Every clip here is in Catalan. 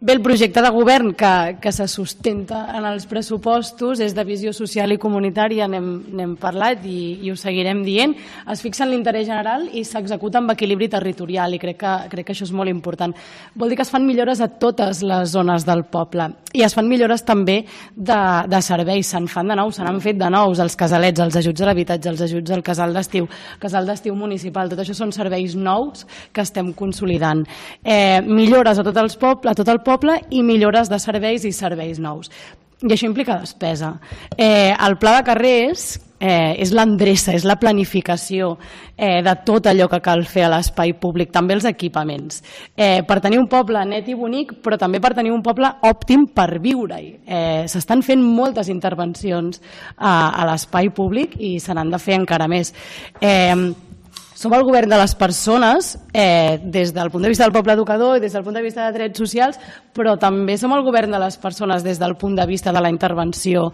Bé, el projecte de govern que se sustenta en els pressupostos és de visió social i comunitària, n'hem parlat i ho seguirem dient. Es fixa en l'interès general i s'executa amb equilibri territorial i crec que això és molt important. Vol dir que es fan millores a totes les zones del poble i es fan millores també de serveis, se'n fan de nous, se n'han fet de nous, els casalets, els ajuts a l'habitatge, els ajuts al casal d'estiu municipal, tot això són serveis nous que estem consolidant. Millores a tot el poble i millores de serveis i serveis nous. I això implica despesa. El pla de carrers és l'endreça, és la planificació de tot allò que cal fer a l'espai públic, també els equipaments. Per tenir un poble net i bonic, però també per tenir un poble òptim per viure-hi. S'estan fent moltes intervencions a l'espai públic i se n'han de fer encara més. Som el govern de les persones des del punt de vista del poble educador i des del punt de vista de drets socials, però també som el govern de les persones des del punt de vista de la intervenció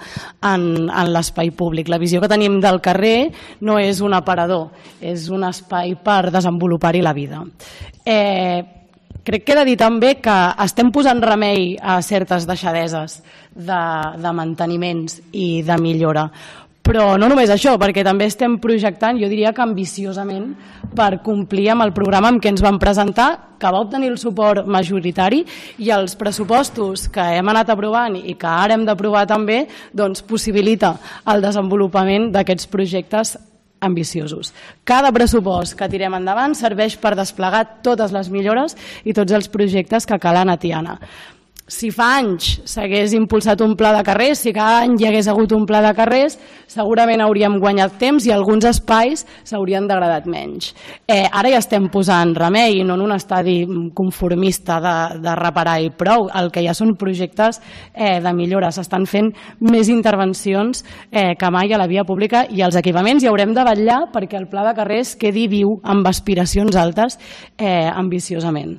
en l'espai públic. La visió que tenim del carrer no és un aparador, és un espai per desenvolupar-hi la vida. Crec que he de dir també que estem posant remei a certes deixadeses de manteniments i de millora. Però no només això, perquè també estem projectant, jo diria que ambiciosament, per complir amb el programa amb què ens vam presentar, que va obtenir el suport majoritari, i els pressupostos que hem anat aprovant i que ara hem d'aprovar també, doncs possibilita el desenvolupament d'aquests projectes ambiciosos. Cada pressupost que tirem endavant serveix per desplegar totes les millores i tots els projectes que calen a Tiana. Si fa anys s'hagués impulsat un pla de carrers, si cada any hi hagués hagut un pla de carrers, segurament hauríem guanyat temps i alguns espais s'haurien degradat menys. Ara ja estem posant remei, no en un estadi conformista de reparar i prou. El que ja són projectes de millora. S'estan fent més intervencions que mai a la via pública i als equipaments, i haurem de vetllar perquè el pla de carrers quedi viu amb aspiracions altes ambiciosament.